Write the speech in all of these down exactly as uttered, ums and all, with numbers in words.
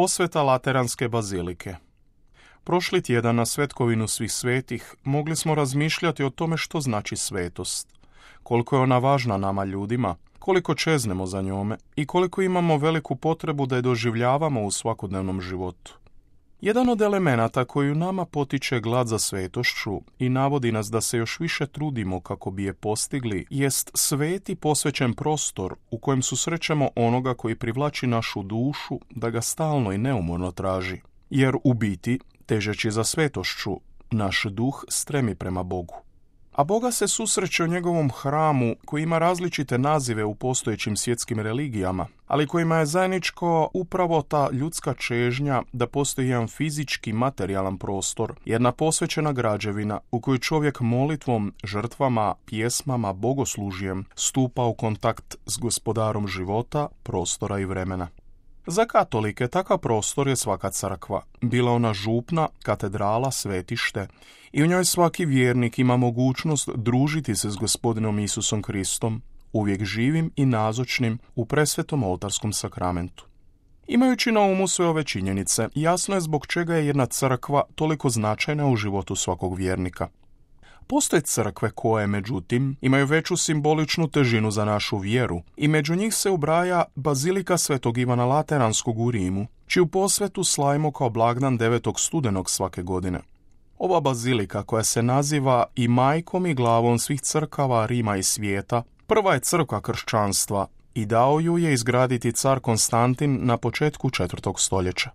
Posveta Lateranske bazilike. Prošli tjedan na Svetkovinu svih svetih mogli smo razmišljati o tome što znači svetost, koliko je ona važna nama ljudima, koliko čeznemo za njome i koliko imamo veliku potrebu da je doživljavamo u svakodnevnom životu. Jedan od elemenata koji u nama potiče glad za svetošću i navodi nas da se još više trudimo kako bi je postigli, jest sveti posvećen prostor u kojem susrećemo onoga koji privlači našu dušu da ga stalno i neumorno traži. Jer u biti, težeći za svetošću, naš duh stremi prema Bogu. A Boga se susreće u njegovom hramu koji ima različite nazive u postojećim svjetskim religijama, ali kojima je zajedničko upravo ta ljudska čežnja da postoji jedan fizički materijalan prostor, jedna posvećena građevina u kojoj čovjek molitvom, žrtvama, pjesmama, bogoslužjem stupa u kontakt s gospodarom života, prostora i vremena. Za katolike takav prostor je svaka crkva, bila ona župna, katedrala, svetište, i u njoj svaki vjernik ima mogućnost družiti se s gospodinom Isusom Kristom, uvijek živim i nazočnim u presvetom oltarskom sakramentu. Imajući na umu sve ove činjenice, jasno je zbog čega je jedna crkva toliko značajna u životu svakog vjernika. Postoje crkve koje, međutim, imaju veću simboličnu težinu za našu vjeru i među njih se ubraja Bazilika Svetog Ivana Lateranskog u Rimu, čiju posvetu slavimo kao blagdan devetog studenog svake godine. Ova bazilika, koja se naziva i majkom i glavom svih crkava Rima i svijeta, prva je crkva kršćanstva i dao ju je izgraditi car Konstantin na početku četvrtog stoljeća.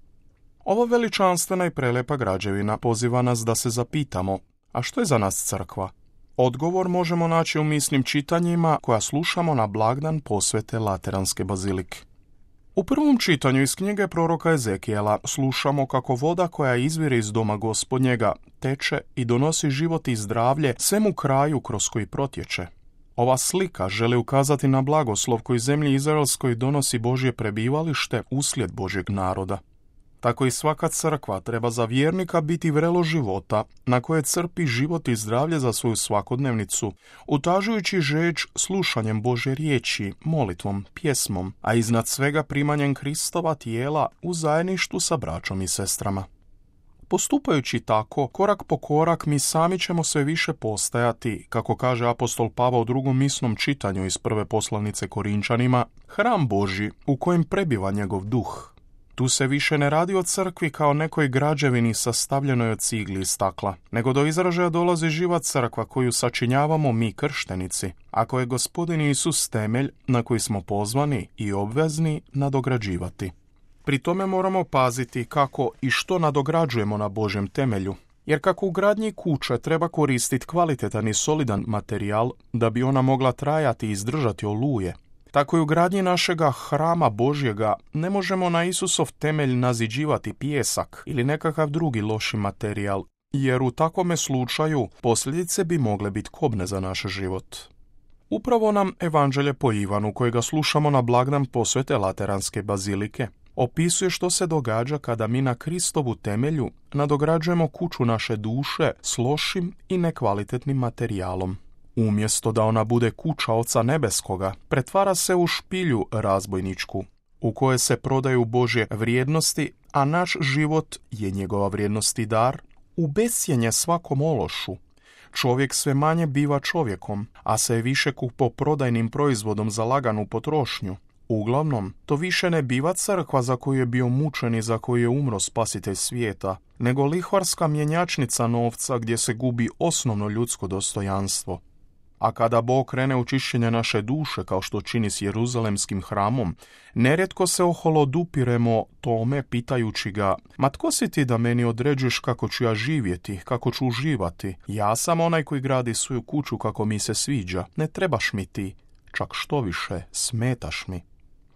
Ova veličanstvena i prelepa građevina poziva nas da se zapitamo: a što je za nas crkva? Odgovor možemo naći u misnim čitanjima koja slušamo na blagdan posvete Lateranske bazilike. U prvom čitanju iz knjige proroka Ezekijela slušamo kako voda koja izvire iz doma Gospodnjega teče i donosi život i zdravlje svemu kraju kroz koji protječe. Ova slika želi ukazati na blagoslov koji zemlji izraelskoj donosi Božje prebivalište uslijed Božjeg naroda. Tako i svaka crkva treba za vjernika biti vrelo života na koje crpi život i zdravlje za svoju svakodnevnicu, utažujući žeđ slušanjem Božje riječi, molitvom, pjesmom, a iznad svega primanjem Kristova tijela u zajedništvu sa braćom i sestrama. Postupajući tako, korak po korak mi sami ćemo sve više postajati, kako kaže apostol Pavao u drugom misnom čitanju iz prve poslanice Korinčanima, hram Božji u kojem prebiva njegov duh. Tu se više ne radi o crkvi kao nekoj građevini sastavljenoj od cigli i stakla, nego do izražaja dolazi živa crkva koju sačinjavamo mi krštenici, ako je Gospodin Isus temelj na koji smo pozvani i obvezni nadograđivati. Pri tome moramo paziti kako i što nadograđujemo na Božjem temelju, jer kako u gradnji kuće treba koristiti kvalitetan i solidan materijal da bi ona mogla trajati i izdržati oluje, tako i u gradnji našega hrama Božjega ne možemo na Isusov temelj naziđivati pijesak ili nekakav drugi loši materijal, jer u takvome slučaju posljedice bi mogle biti kobne za naš život. Upravo nam Evanđelje po Ivanu, kojega slušamo na blagdan posvete Lateranske bazilike, opisuje što se događa kada mi na Kristovu temelju nadograđujemo kuću naše duše s lošim i nekvalitetnim materijalom. Umjesto da ona bude kuća Oca Nebeskoga, pretvara se u špilju razbojničku, u kojoj se prodaju Božje vrijednosti, a naš život je njegova vrijednost i dar, u besjenje svakom ološu. Čovjek sve manje biva čovjekom, a sve više kupoprodajnim proizvodom za laganu potrošnju. Uglavnom, to više ne biva crkva za koju je bio mučen i za koju je umro spasitelj svijeta, nego lihvarska mjenjačnica novca gdje se gubi osnovno ljudsko dostojanstvo. A kada Bog krene u čišćenje naše duše, kao što čini s Jeruzalemskim hramom, nerijetko se oholodupiremo tome pitajući ga: ma tko si ti da meni određuješ kako ću ja živjeti, kako ću uživati? Ja sam onaj koji gradi svoju kuću kako mi se sviđa, ne trebaš mi ti, čak što više, smetaš mi.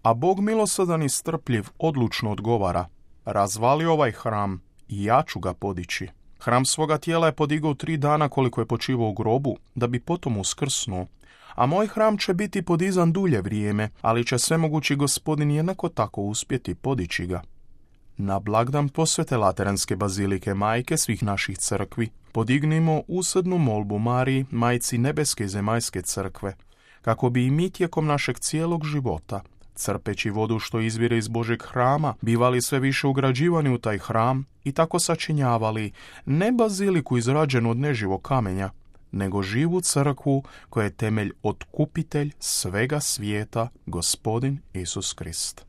A Bog milosadan i strpljiv odlučno odgovara: razvali ovaj hram i ja ću ga podići. Hram svoga tijela je podigao tri dana koliko je počivao u grobu, da bi potom uskrsnuo. A moj hram će biti podizan dulje vrijeme, ali će svemogući Gospodin jednako tako uspjeti podići ga. Na blagdan posvete Lateranske bazilike, majke svih naših crkvi, podignimo usrdnu molbu Mariji, majci nebeske i zemaljske crkve, kako bi i mi tijekom našeg cijelog života crpeći vodu što izvire iz Božeg hrama, bivali sve više ugrađivani u taj hram i tako sačinjavali ne baziliku izrađenu od neživog kamenja, nego živu crkvu koja je temelj otkupitelj svega svijeta, Gospodin Isus Krist.